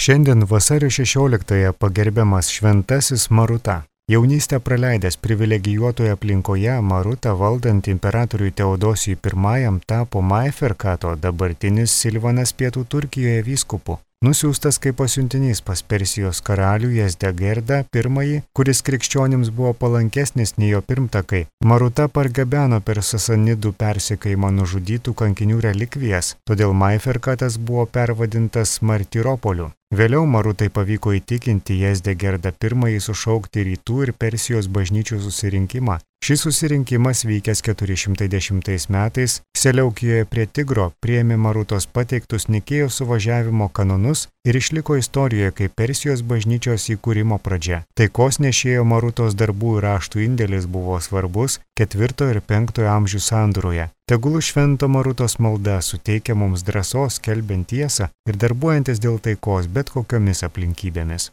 Šiandien vasario 16-ąją pagerbiamas šventasis Maruta. Jaunystę praleidęs privilegijuotoje aplinkoje Maruta valdant imperatoriui Teodosijui I tapo Maiferkato, dabartinis Silvanas pietų Turkijoje vyskupu. Nusiųstas kaip pasiuntinys pas Persijos karalių Jezdegerdą I, kuris krikščionims buvo palankesnis nei jo pirmtakai, Maruta pargabeno per Sasanidų persekiojimą nužudytų kankinių relikvijas, todėl Maiferkatas buvo pervadintas Martyropoliu. Vėliau Marutai pavyko įtikinti Jezdegerdą I sušaukti rytų ir Persijos bažnyčių susirinkimą. Šis susirinkimas vykęs 410 metais Seleukijoje prie Tigro priėmė Marutos pateiktus Nikėjos suvažiavimo kanonus ir išliko istorijoje kaip Persijos bažnyčios įkūrimo pradžia. Taikos nešėjo Marutos darbų ir raštų indėlis buvo svarbus 4 ir 5 amžių sandūroje. Tegul švento Marutos malda suteikia mums drąsos skelbiant tiesą ir darbuojantis dėl taikos bet kokiomis aplinkybėmis.